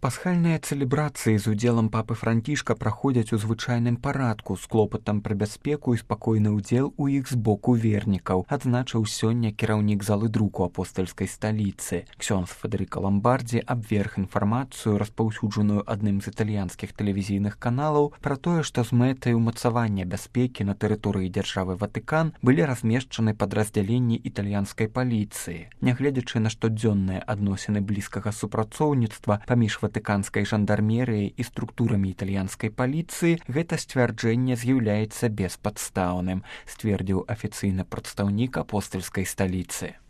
Пасхальныя цэлебрацыі з удзелам папы Францішка праходзяць у звычайным парадку з клопатам пра бяспеку і спакойны ўдзел у іх з боку вернікаў, адзначыў сёння кіраўнік залы друку апостальскай сталіцы. Ксёндз Федэрыка Ламбардзі абверг інфармацыю, распаўсюджаную адным з італьянскіх тэлевізійных каналаў, пра тое, што з мэтай умацавання бяспекі на тэрыторыі дзяржавы Ватыкан былі размешчаны падраздзяленні італьянскай паліцыі. Нягледзячы на штодзённыя адносіны блізкага супрацоўніцтва паміж ватыканскай жандармерыяй і структурамі італьянскай паліцыі, гэта сцвярджэнне з'яўляецца беспадстаўным, сцвердзіў афіцыйны прадстаўнік апостальскай сталіцы.